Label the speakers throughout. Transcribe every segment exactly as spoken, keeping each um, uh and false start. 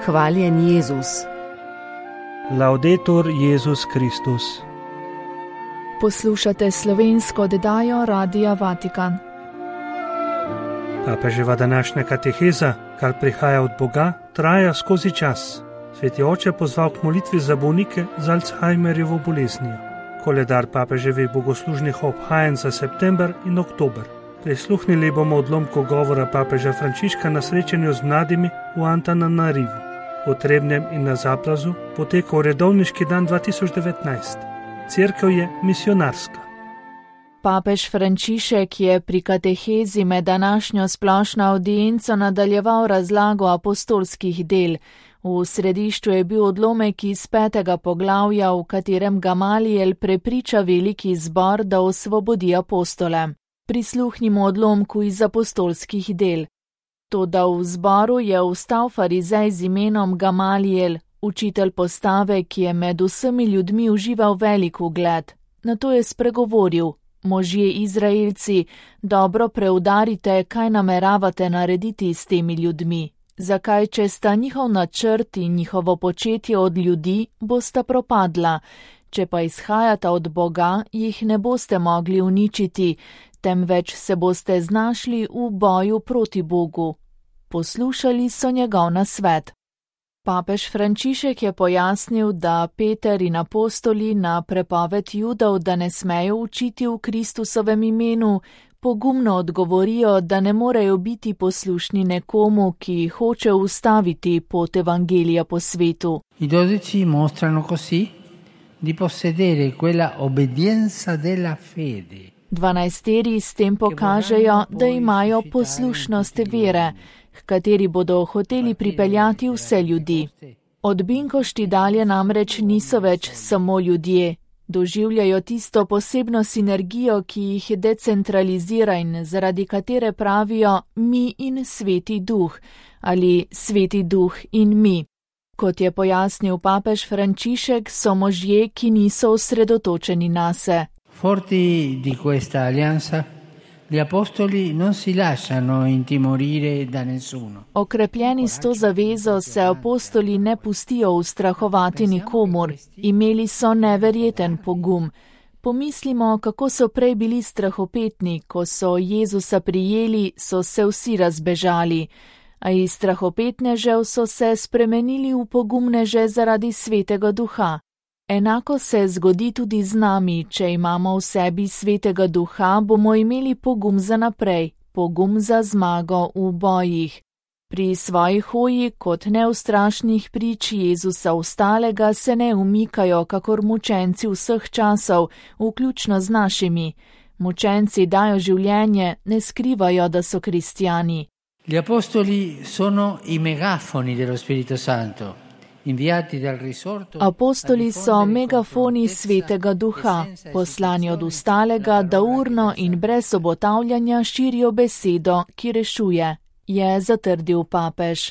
Speaker 1: Hvaljen Jezus.
Speaker 2: Laudetur Jezus Kristus.
Speaker 3: Poslušate slovensko oddajo Radia Vatikan.
Speaker 2: Papeževa današnja kateheza, kar prihaja od Boga, traja skozi čas. Sveti oče je pozval k molitvi za bolnike z Alzheimerjevo boleznijo. Koledar papeževih bogoslužnih obhajanj za september in oktober. Prisluhnili bomo odlomku govora papeža Frančiška na srečanju z mladimi v Antananarivu. V Trebnjem in na Zaplazu potekal redovniški dan dva tisoč devetnajst. Cerkev je misionarska.
Speaker 3: Papež Frančišek je pri katehezi med današnjo splošno avdienco nadaljeval razlago apostolskih del. V središču je bil odlomek iz petega poglavja, v katerem Gamalijel prepriča veliki zbor, da osvobodi apostole. Prisluhnimo odlomku iz apostolskih del. Toda v zboru je vstal farizej z imenom Gamalijel, učitelj postave, ki je med vsemi ljudmi užival velik ugled. Nato je spregovoril: možje Izraelci, dobro preudarite, kaj nameravate narediti s temi ljudmi. Zakaj, če sta njihov načrt in njihovo početje od ljudi, bosta propadla. Če pa izhajata od Boga, jih ne boste mogli uničiti, temveč se boste znašli v boju proti Bogu. Poslušali so njegov nasvet. Papež Frančišek je pojasnil, da Peter in apostoli na prepoved Judov, da ne smejo učiti v Kristusovem imenu, pogumno odgovorijo, da ne morejo biti poslušni nekomu, ki hoče ustaviti pot evangelija po svetu.
Speaker 4: I dodici mostrano così di possedere quella obbedienza della fede.
Speaker 3: Dvanajsteri s tem pokažejo, da imajo poslušnost vere, h kateri bodo hoteli pripeljati vse ljudi. Od Binkošti dalje namreč niso več samo ljudje. Doživljajo tisto posebno sinergijo, ki jih decentralizira in zaradi katere pravijo mi in Sveti Duh ali Sveti Duh in mi. Kot je pojasnil papež Frančišek, so možje, ki niso osredotočeni nase.
Speaker 4: Forti di questa alleanza, gli apostoli non si lasciano intimorire da nessuno.
Speaker 3: Okrepljeni s to zavezo se apostoli ne pustijo ustrahovati nikomur. Imeli so neverjeten pogum. Pomislimo, kako so prej bili strahopetni, ko so Jezusa prijeli, so se vsi razbežali. A iz strahopetnežev so se spremenili v pogumneže zaradi Svetega Duha. Enako se zgodi tudi z nami, če imamo v sebi Svetega Duha, bomo imeli pogum za naprej, pogum za zmago v bojih. Pri svoji hoji kot neustrašnih prič Jezusa ostalega se ne umikajo kakor mučenci vseh časov, vključno z našimi. Mučenci dajo življenje, ne skrivajo, da so kristjani.
Speaker 4: Gli apostoli sono i megafoni dello Spirito Santo.
Speaker 3: Apostoli so megafoni Svetega Duha, poslani od ostalega, da urno in brez obotavljanja širijo besedo, ki rešuje, je zatrdil papež.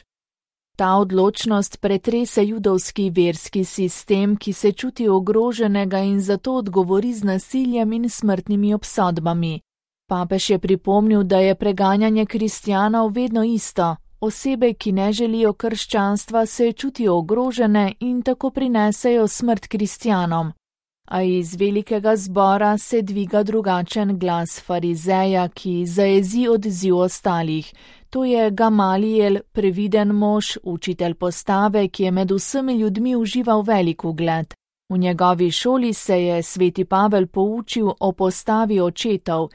Speaker 3: Ta odločnost pretrese judovski verski sistem, ki se čuti ogroženega in zato odgovori z nasiljem in smrtnimi obsodbami. Papež je pripomnil, da je preganjanje kristjanov vedno isto. Osebe, ki ne želijo krščanstva, se čutijo ogrožene in tako prinesejo smrt kristjanom. A iz velikega zbora se dviga drugačen glas farizeja, ki zajezi odziv ostalih. To je Gamalijel, previden mož, učitelj postave, ki je med vsemi ljudmi užival velik ugled. V njegovi šoli se je sveti Pavel poučil o postavi očetov.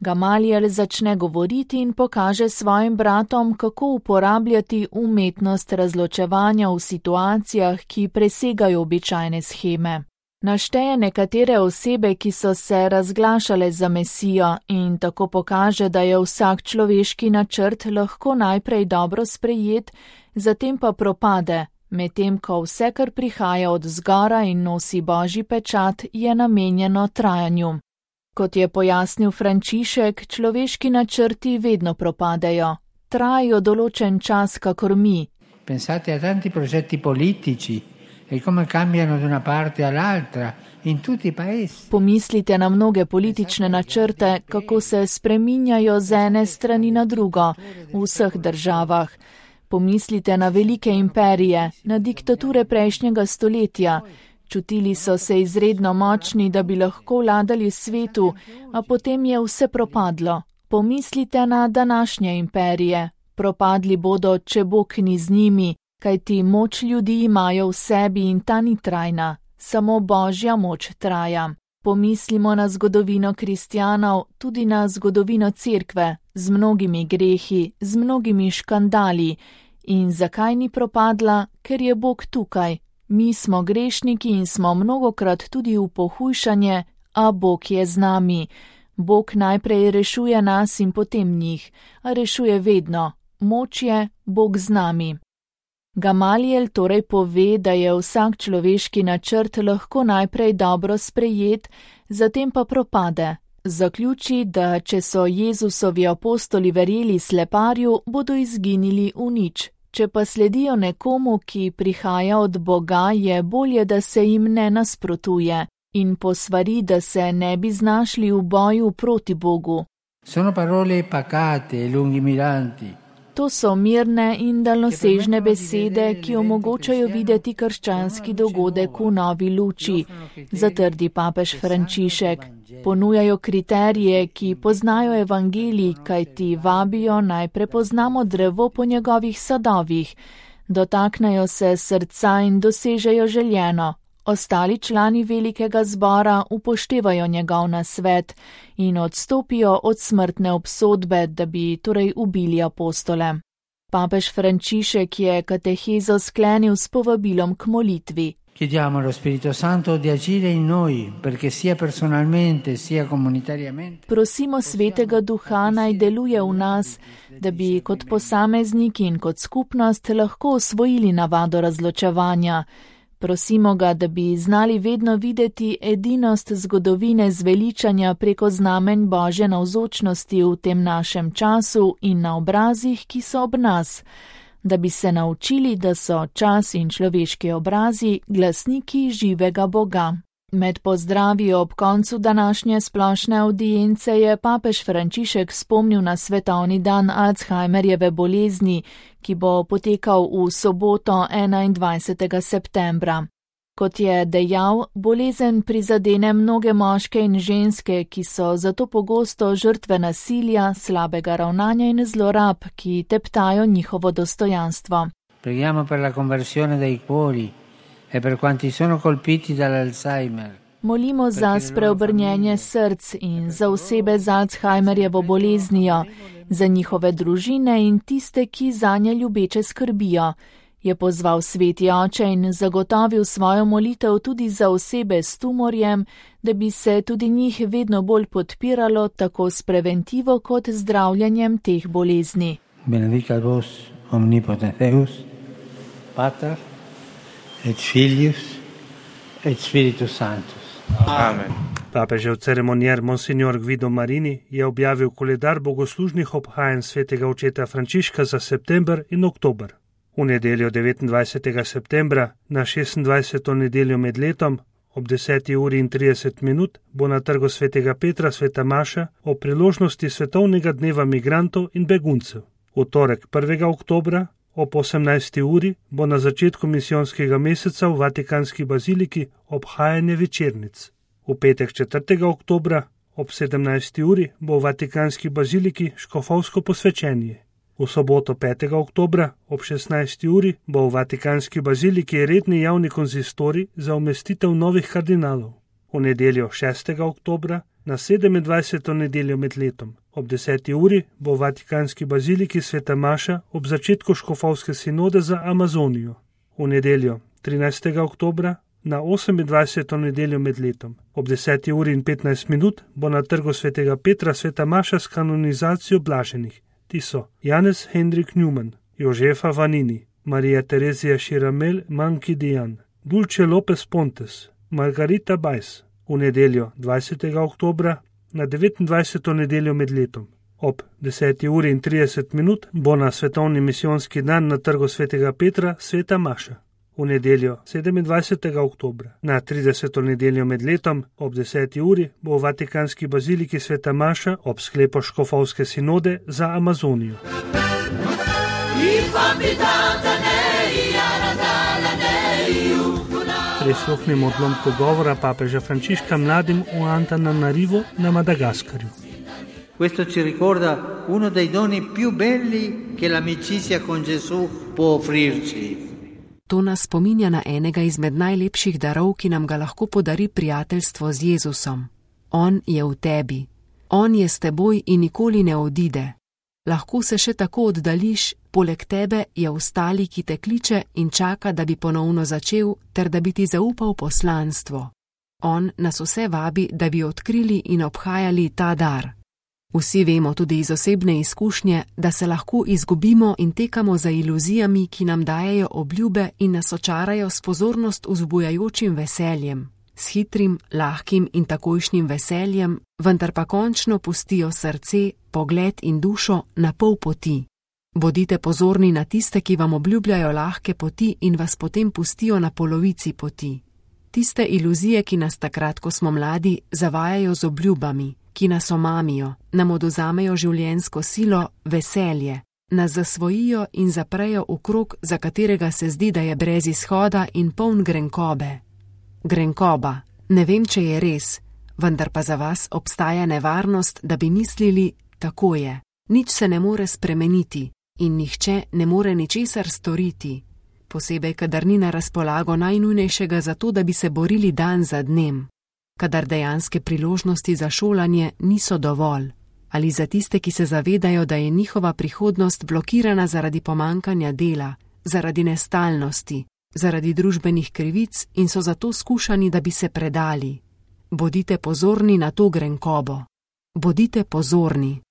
Speaker 3: Gamalijel začne govoriti in pokaže svojim bratom, kako uporabljati umetnost razločevanja v situacijah, ki presegajo običajne sheme. Našteje nekatere osebe, ki so se razglašale za Mesijo, in tako pokaže, da je vsak človeški načrt lahko najprej dobro sprejet, zatem pa propade, medtem ko vse, kar prihaja od zgora in nosi Božji pečat, je namenjeno trajanju. Kot je pojasnil Frančišek, človeški načrti vedno propadejo. Trajajo določen čas, kakor mi.
Speaker 4: Pensate a tanti progetti politici e come cambiano da una parte all'altra in tutti i paesi.
Speaker 3: Pomislite na mnoge politične načrte, kako se spreminjajo z ene strani na drugo v vseh državah. Pomislite na velike imperije, na diktature prejšnjega stoletja. Čutili so se izredno močni, da bi lahko vladali svetu, a potem je vse propadlo. Pomislite na današnje imperije. Propadli bodo, če Bog ni z njimi, kajti moč ljudi imajo v sebi in ta ni trajna. Samo Božja moč traja. Pomislimo na zgodovino kristjanov, tudi na zgodovino cerkve, z mnogimi grehi, z mnogimi škandali. In zakaj ni propadla? Ker je Bog tukaj. Mi smo grešniki in smo mnogokrat tudi v pohujšanje, a Bog je z nami. Bog najprej rešuje nas in potem njih, a rešuje vedno. Moč je, Bog z nami. Gamaliel torej pove, da je vsak človeški načrt lahko najprej dobro sprejet, zatem pa propade. Zaključi, da če so Jezusovi apostoli verjeli sleparju, bodo izginili v nič. Če pa sledijo nekomu, ki prihaja od Boga, je bolje, da se jim ne nasprotuje in posvari, da se ne bi znašli v boju proti Bogu.
Speaker 4: Sono parole pacate e lungimiranti.
Speaker 3: To so mirne in daljnosežne besede, ki omogočajo videti krščanski dogodek v novi luči, zatrdi papež Frančišek. Ponujajo kriterije, ki poznajo evangelij, kaj ti vabijo naj prepoznamo drevo po njegovih sadovih. Dotaknejo se srca in dosežejo željeno. Ostali člani velikega zbora upoštevajo njegov nasvet in odstopijo od smrtne obsodbe, da bi torej ubili apostole. Papež Frančišek je katehezo sklenil s povabilom k molitvi.
Speaker 4: Chiediamo allo Spirito Santo di agire in noi, perché sia personalmente, sia comunitariamente.
Speaker 3: Prosimo Svetega Duha naj deluje v nas, da bi kot posamezniki in kot skupnost lahko osvojili navado razločevanja. Prosimo ga, da bi znali vedno videti edinost zgodovine zveličanja preko znamenj Božje navzočnosti v tem našem času in na obrazih, ki so ob nas, da bi se naučili, da so čas in človeški obrazi glasniki živega Boga. Med pozdravi ob koncu današnje splošne avdience je papež Frančišek spomnil na svetovni dan Alzheimerjeve bolezni, ki bo potekal v soboto enaindvajsetega septembra. Kot je dejal, bolezen prizadene mnoge moške in ženske, ki so zato pogosto žrtve nasilja, slabega ravnanja in zlorab, ki teptajo njihovo dostojanstvo.
Speaker 4: Preghiamo per la conversione dei cuori e per quanti sono colpiti dall'Alzheimer.
Speaker 3: Molimo za spreobrnjenje src in za osebe z Alzheimerjevo boleznijo, za njihove družine in tiste, ki zanje ljubeče skrbijo, je pozval Sveti Oče in zagotovil svojo molitev tudi za osebe s tumorjem, da bi se tudi njih vedno bolj podpiralo tako s preventivo kot zdravljenjem teh bolezni.
Speaker 4: Benedicat vos omnipotens Deus, Pater et Filius et Spiritus Sanctus.
Speaker 1: Amen.
Speaker 2: Papežev ceremonier Monsignor Guido Marini je objavil koledar bogoslužnih obhajanj svetega očeta Frančiška za september in oktober. V nedeljo devetindvajsetega septembra na šestindvajseto nedeljo med letom ob deseti uri in trideset minut bo na trgu svetega Petra sveta maša o priložnosti svetovnega dneva migrantov in beguncev. V torek prvega oktobra ob osemnajsti uri bo na začetku misijonskega meseca v Vatikanski baziliki obhajanje večernic. V petek četrtega oktobra ob sedemnajsti uri bo v Vatikanski baziliki škofovsko posvečenje. V soboto petega oktobra ob šestnajsti uri bo v Vatikanski baziliki redni javni konzistorij za umestitev novih kardinalov. V nedeljo šestega oktobra na sedemindvajseto nedeljo med letom ob deseti uri bo v Vatikanski baziliki sveta maša ob začetku škofovske sinode za Amazonijo. V nedeljo trinajstega oktobra na osemindvajseto nedeljo med letom ob deseti uri in petnajst minut bo na trgu svetega Petra sveta maša s kanonizacijo blaženih. Ti so Janez Hendrik Newman, Jožefa Vanini, Marija Terezija Širamel Mankidijan, Dulce Lopez Pontes, Margarita Bajs. V nedeljo dvajsetega oktobra na devetindvajseto nedeljo med letom ob deseti uri in trideset minut bo na svetovni misijonski dan na trgu svetega Petra sveta maša. V nedeljo sedemindvajsetega oktobra na trideseto nedeljo med letom ob deseti uri bo v Vatikanski baziliki sveta maša ob sklepu škofovske sinode za Amazonijo. Prisluhnimo odlomku govora papeža Frančiška mladim v Antananarivu na Madagaskarju.
Speaker 4: Questo ci ricorda uno dei doni più belli che l'amicizia con Gesù può offrirci.
Speaker 1: To nas spominja na enega izmed najlepših darov, ki nam ga lahko podari prijateljstvo z Jezusom. On je v tebi. On je s teboj in nikoli ne odide. Lahko se še tako oddališ, poleg tebe je ostali, ki te kliče in čaka, da bi ponovno začel, ter da bi ti zaupal poslanstvo. On nas vse vabi, da bi odkrili in obhajali ta dar. Vsi vemo tudi iz osebne izkušnje, da se lahko izgubimo in tekamo za iluzijami, ki nam dajejo obljube in nas očarajo s pozornost vzbujajočim veseljem, s hitrim, lahkim in takojšnjim veseljem, vendar pa končno pustijo srce, pogled in dušo na pol poti. Bodite pozorni na tiste, ki vam obljubljajo lahke poti in vas potem pustijo na polovici poti. Tiste iluzije, ki nas takrat, ko smo mladi, zavajajo z obljubami, ki nas omamijo, nam oduzamejo življenjsko silo, veselje, nas zasvojijo in zaprejo v krog, za katerega se zdi, da je brez izhoda in poln grenkobe. Grenkoba, ne vem, če je res, vendar pa za vas obstaja nevarnost, da bi mislili, tako je, nič se ne more spremeniti in nihče ne more ničesar storiti, posebej, kadar ni na razpolago najnujnejšega za to, da bi se borili dan za dnem. Kadar dejanske priložnosti za šolanje niso dovolj, ali za tiste, ki se zavedajo, da je njihova prihodnost blokirana zaradi pomankanja dela, zaradi nestalnosti, zaradi družbenih krivic in so zato skušani, da bi se predali. Bodite pozorni na to grenkobo. Bodite pozorni.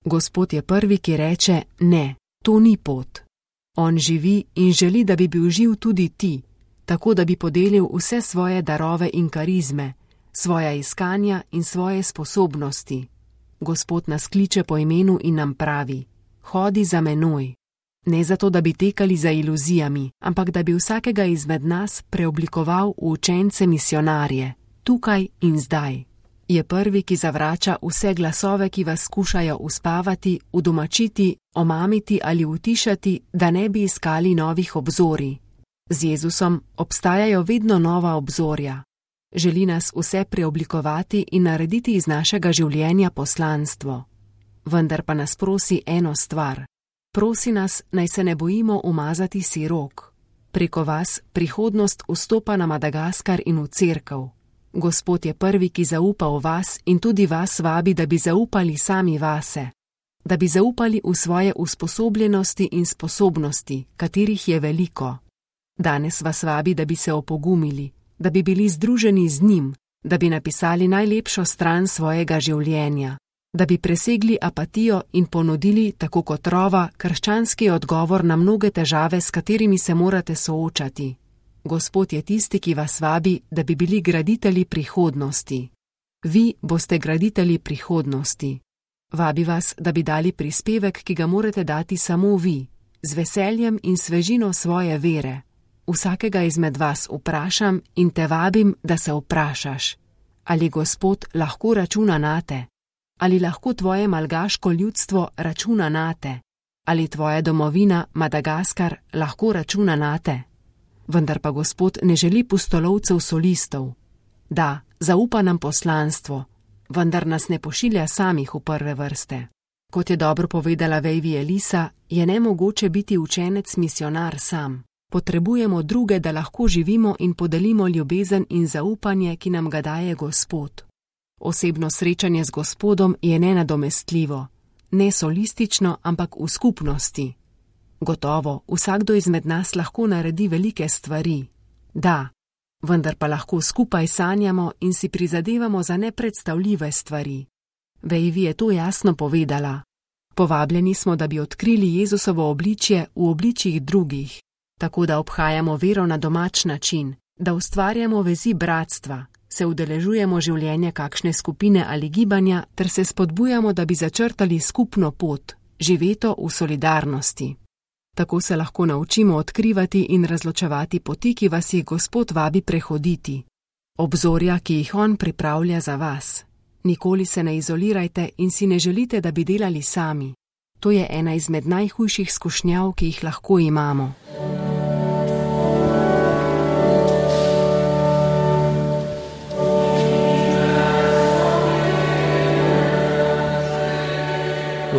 Speaker 1: Gospod je prvi, ki reče, ne, to ni pot. On živi in želi, da bi bil živ tudi ti, tako da bi podelil vse svoje darove in karizme, svoja iskanja in svoje sposobnosti. Gospod nas kliče po imenu in nam pravi, hodi za menoj. Ne zato, da bi tekali za iluzijami, ampak da bi vsakega izmed nas preoblikoval v učence misionarje, tukaj in zdaj. Je prvi, ki zavrača vse glasove, ki vas skušajo uspavati, udomačiti, omamiti ali utišati, da ne bi iskali novih obzorij. Z Jezusom obstajajo vedno nova obzorja. Želi nas vse preoblikovati in narediti iz našega življenja poslanstvo. Vendar pa nas prosi eno stvar. Prosi nas, naj se ne bojimo umazati si rok. Preko vas prihodnost vstopa na Madagaskar in v cerkev. Gospod je prvi, ki zaupa v vas in tudi vas vabi, da bi zaupali sami vase. Da bi zaupali v svoje usposobljenosti in sposobnosti, katerih je veliko. Danes vas vabi, da bi se opogumili, da bi bili združeni z njim, da bi napisali najlepšo stran svojega življenja, da bi presegli apatijo in ponudili, tako kot Rova, krščanski odgovor na mnoge težave, s katerimi se morate soočati. Gospod je tisti, ki vas vabi, da bi bili graditelji prihodnosti. Vi boste graditelji prihodnosti. Vabi vas, da bi dali prispevek, ki ga morate dati samo vi, z veseljem in svežino svoje vere. Vsakega izmed vas vprašam in te vabim, da se vprašaš, ali Gospod lahko računa nate, ali lahko tvoje malgaško ljudstvo računa nate, ali tvoja domovina Madagaskar lahko računa nate. Vendar pa Gospod ne želi pustolovcev solistov. Da, zaupa nam poslanstvo, vendar nas ne pošilja samih v prve vrste. Kot je dobro povedala Vejvi Elisa, je nemogoče biti učenec misionar sam. Potrebujemo druge, da lahko živimo in podelimo ljubezen in zaupanje, ki nam ga daje Gospod. Osebno srečanje z Gospodom je nenadomestljivo, ne solistično, ampak v skupnosti. Gotovo, vsakdo izmed nas lahko naredi velike stvari. Da, vendar pa lahko skupaj sanjamo in si prizadevamo za nepredstavljive stvari. Vejvi je to jasno povedala. Povabljeni smo, da bi odkrili Jezusovo obličje v obličjih drugih, tako da obhajamo vero na domač način, da ustvarjamo vezi bratstva, se udeležujemo življenja kakšne skupine ali gibanja ter se spodbujamo, da bi začrtali skupno pot, živeto v solidarnosti. Tako se lahko naučimo odkrivati in razločevati poti, ki vas jih Gospod vabi prehoditi. Obzorja, ki jih On pripravlja za vas. Nikoli se ne izolirajte in si ne želite, da bi delali sami. To je ena izmed najhujših skušnjav, ki jih lahko imamo.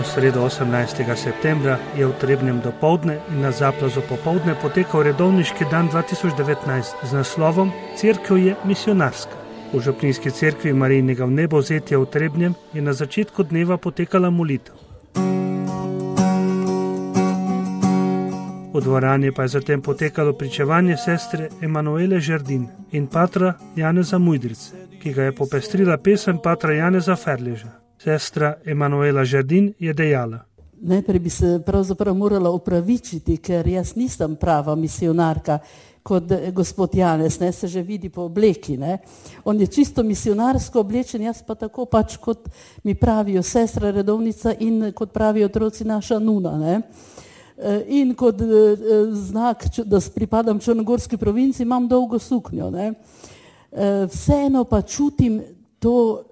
Speaker 2: V sredo osemnajstega septembra je v Trebnjem dopoldne in na Zaplazu popoldne potekal redovniški dan dva tisoč devetnajst z naslovom Cerkev je misionarska. V župnijski cerkvi Marijinega vnebovzetja v Trebnjem je na začetku dneva potekala molitev. V dvorani pa je zatem potekalo pričevanje sestre Emanuele Žerdin in patra Janeza Mujdrice, ki ga je popestrila pesem patra Janeza Ferleža. Sestra Emanuela Žerdin je dejala:
Speaker 5: Najprej bi se pravzaprav morala opravičiti, ker jaz nisem prava misionarka kot gospod Janez, ne, se že vidi po obleki. Ne. On je čisto misionarsko oblečen, jaz pa tako pač, kot mi pravijo sestra redovnica in kot pravijo otroci naša nuna. Ne. In kot znak, da pripadam črnogorski provinci, imam dolgo suknjo. Ne. Vseeno pa čutim to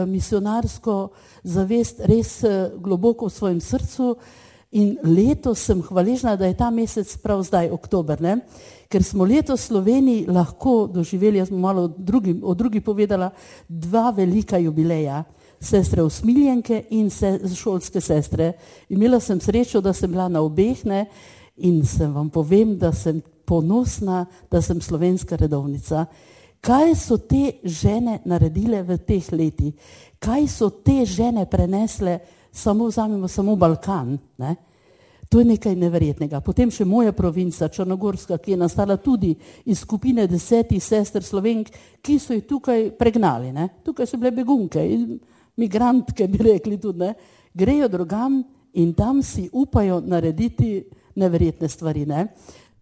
Speaker 5: misionarsko zavest res globoko v svojem srcu in letos sem hvaležna, da je ta mesec prav zdaj, oktober, ne? Ker smo letos v Sloveniji lahko doživeli, jaz bom malo drugi, o drugi povedala, dva velika jubileja, sestre usmiljenke in se, šolske sestre. Imela sem srečo, da sem bila na obeh, ne? In sem vam povem, da sem ponosna, da sem slovenska redovnica. Kaj so te žene naredile v teh letih? Kaj so te žene prenesle, samo vzamemo samo Balkan, ne? To je nekaj neverjetnega. Potem še moja provinca, Črnogorska, ki je nastala tudi iz skupine desetih sester Slovenk, ki so jih tukaj pregnali, ne? Tukaj so bile begunke, migrantke bi rekli tudi, ne? Grejo drugam in tam si upajo narediti neverjetne stvari, ne?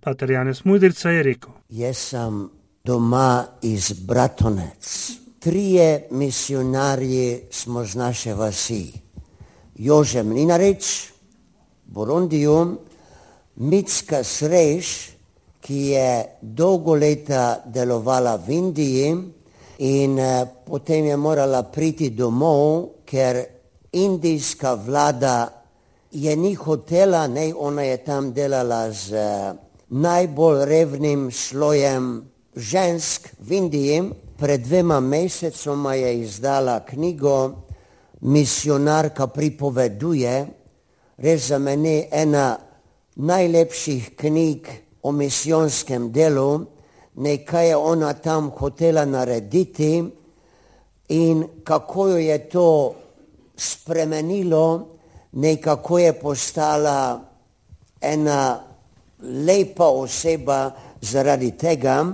Speaker 2: Pater Janez Mujdrica je rekel:
Speaker 6: Jaz sem doma iz Bratonec. Trije misionarji smo z naše vasi. Jože Mlinarič, Borondiju, Micka Sreš, ki je dolgo leta delovala v Indiji in eh, potem je morala priti domov, ker indijska vlada je ni hotela, ne, ona je tam delala z eh, najbolj revnim slojem žensk v Indiji. Pred dvema mesecoma je izdala knjigo Misionarka pripoveduje, res za mene ena najlepših knjig o misijonskem delu, nekaj je ona tam hotela narediti in kako jo je to spremenilo, nekako je postala ena lepa oseba zaradi tega.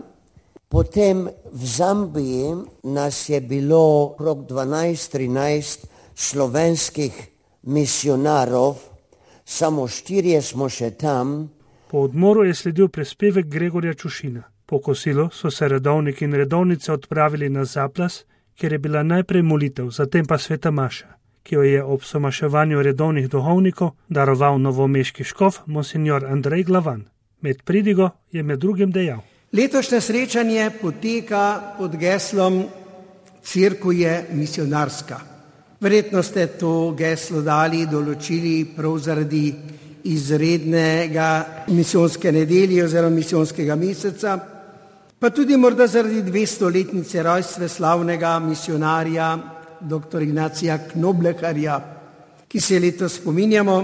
Speaker 6: Potem v Zambiji nas je bilo okrog dvanajst trinajst slovenskih misionarov, samo štirje smo še tam.
Speaker 2: Po odmoru je sledil prispevek Gregorja Čušina. Po kosilu so se redovniki in redovnice odpravili na Zaplas, kjer je bila najprej molitev, zatem pa sveta maša, ki jo je ob somaševanju redovnih duhovnikov daroval novomeški škof monsignor Andrej Glavan. Med pridigo je med drugim dejal:
Speaker 7: Letošnje srečanje poteka pod geslom Cerkev je misionarska. Verjetno ste to geslo dali, določili prav zaradi izrednega misijonske nedelje oziroma misijonskega meseca, pa tudi morda zaradi dvestoletnice rojstva slavnega misionarja doktor Ignacija Knobleharja, ki se letos spominjamo.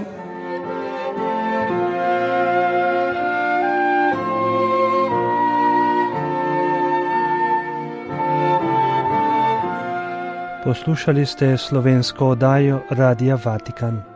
Speaker 2: Poslušali ste slovensko oddajo Radia Vatikan.